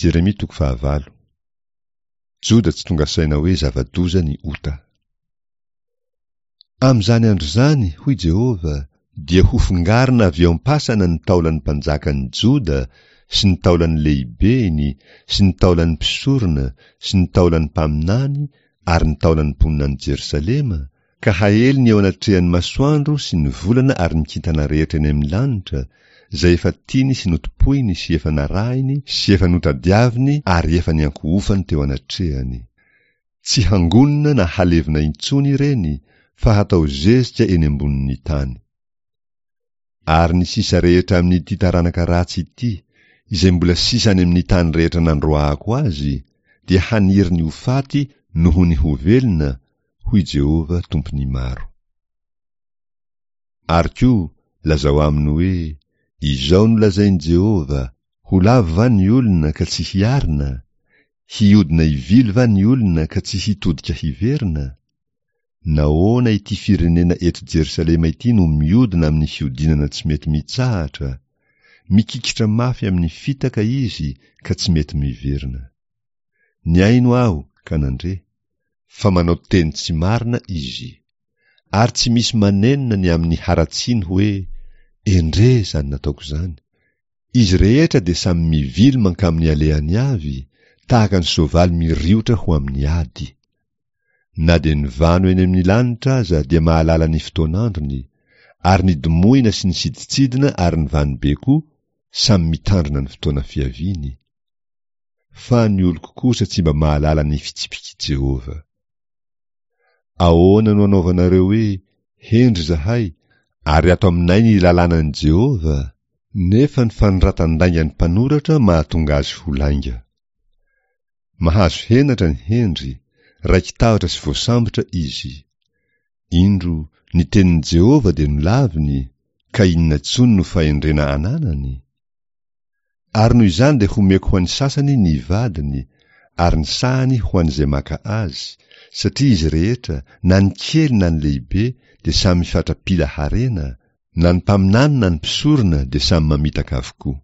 Jeremia toko fahavalo. Joda tsy tonga saina hoe zava-doza ny ota. Amin'izany andro izany, hoy Jehovah, dia hofongarina avy eo am-pasana ny taolan'ny mpanjakan'ny Joda sy ny taolan'ny lehibeny sy ny taolan'ny mpisorona sy ny taolan'ny mpaminany ary ny taolan'ny mponina any Jerosalema, ka haeliny eo anatrehan'ny masoandro sy ny volana ary ny kintana rehetra eny amin'ny lanitra, izay efa tiany sy notompoiny sy efa narahiny sy efa notadiaviny ary efa niankohofany teo anatrehany. Tsy hangonina na halevina intsony ireny fa hatao zezika eny ambonin'ny tany. Ary ny sisa rehetra amin'ity taranaka ratsy ity, izay mbola sisa any amin'ny tany rehetra nandroahako azy, dia haniry ny ho faty noho ny ho velona, hoy Jehovah Tompon'ny maro. Ary koa, lazao aminy hoe, Izao no lazain'i Jehovah, Ho lavo va ny olona ka tsy hiarina? Hiodina hivily va ny olona ka tsy hitodika hiverina? Nahoana ity firenena eto Jerosalema ity no miodina amin'ny fiodinana tsy mety mitsahatra? Mikikitra mafy amin'ny fitaka izy ka tsy mety miverina. Nihaino aho ka nandre, fa manao teny tsy marina izy. Ary tsy misy manenina ny amin'ny haratsiany hoe, Endrey izany nataoko izany! Izy rehetra dia samy mivily mankamin'ny alehany avy, tahaka ny soavaly miriotra ho amin'ny ady. Na dia ny vano eny amin'ny lanitra aza dia mahalala ny fotoan'androny, ary ny domohina sy ny sidintsidina ary ny vanobe koa samy mitandrina ny fotoana fiaviany. Fa ny oloko kosa tsy mba mahalala ny fitsipik'i Jehovah. Ahoana no anaovanareo hoe, 'Hendry izahay, ary ato aminay ny lalànan'i Jehovah'? Nefa ny fanoratan-daingan'ny mpanoratra mahatonga azy ho lainga. Mahazo henatra ny hendry, raiki-tahotra sy voasambotra izy. Indro, ny tenin'i Jehovah dia nolaviny, ka inona intsony no fahendrena ananany? Ary noho izany dia homeko ho an'ny sasany ny vadiny, ary ny sahany ho an'izay maka azy, satria izy rehetra, na ny kely na ny lehibe, dia samy fatra-pila harena, na ny mpaminany na ny mpisorona dia samy mamitaka avokoa.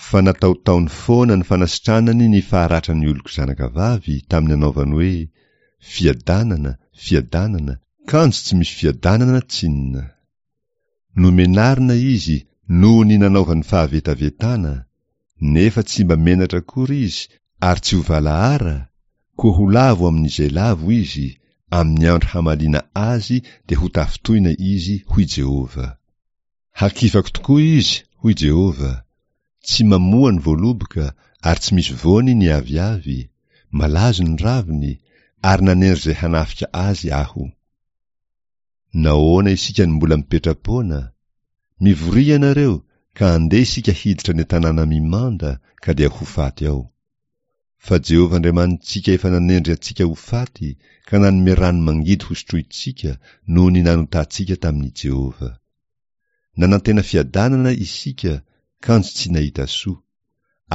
Fa nataotaony foana ny fanasitranany ny faharatran'ny oloko zanakavavy tamin'ny anaovany hoe, Fiadanana, fiadanana, kanjo tsy misy fiadanana tsinona. Nomenarina izy noho ny nanaovany fahavetavetana, nefa tsy mba menatra akory izy ary tsy ho valahara, koa ho lavo amin'izay lavo izy, amin'ny andro hamaliana azy dia ho tafintohina izy, hoy Jehovah. Hakifako tokoa izy, hoy Jehovah, tsy mamoa ny voaloboka ary tsy misy voany ny aviavy, malazo ny raviny, ary nanendry izay hanafika azy aho. Nahoana isika no mbola mipetra-poana? Mivoria ianareo, ka andeha isika hiditra any an-tanàna mimanda, ka dia ho faty ao. Fa Jehovah Andriamanitsika efa nanendry antsika ho faty, ka nanome rano mangidy hosotrointsika, noho ny nanotantsika tamin'i Jehovah. Nanantena fiadanana isika, kanjo tsy nahita soa,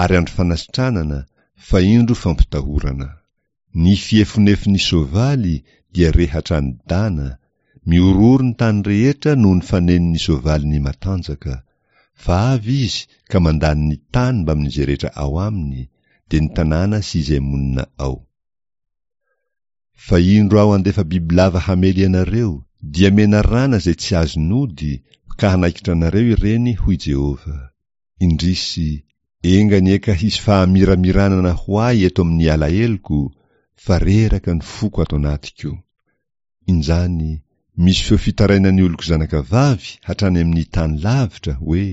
ary andro fanasitranana, fa indro fampitahorana. Ny fiefonefon'ny soavaly dia re hatrany Dana, mihorohoro ny tany rehetra noho ny fanenon'ny soavaliny matanjaka, fa avy izy ka mandany ny tany mbamin'izay rehetra ao aminy, dia ny tanàna sy izay monina ao. Fa indro aho handefa bibilava hamely anareo, dia menarana izay tsy azon'ody, ka hanaikitra anareo ireny, hoy Jehovah. Indrisy, enga anie ka hisy fahamiramiranana ho ahy eto amin'ny alaheloko, fa reraka ny foko ato anatiko. Injany, misy feo fitarainan'ny oloko zanakavavy hatrany amin'ny tany lavitra, hoe,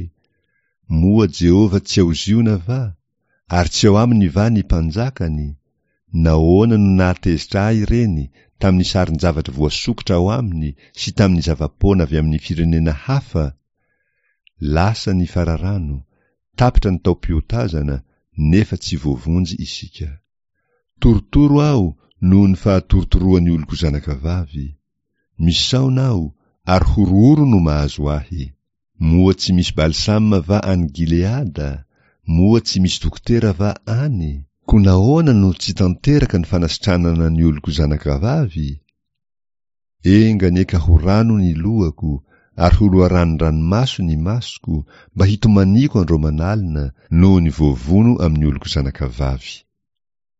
Moa Jehovah tsy ao Ziona va? Ary tsy ao aminy va ny mpanjakany? Nahoana no nahatezitra ahy ireny tamin'ny sarin-javatra voasokitra ao aminy sy tamin'ny zava-poana avy amin'ny firenena hafa? Lasa ny fararano, tapitra ny taom-piotazana, nefa tsy voavonjy isika. Torotoro aho noho ny fahatorotoroan'ny oloko zanakavavy. Misaona aho, ary horohoro no mahazo ahy. Moa tsy misy balsama va any Gileada? Moa tsy misy dokotera va any? Koa nahoana no tsy tanteraka ny fanasitranana ny oloko zanakavavy? Enga anie ka ho rano ny lohako, ary ho loharanon-dranomaso ny masoko, mba hitomaniako andro aman'alina noho ny voavono amin'ny oloko zanakavavy.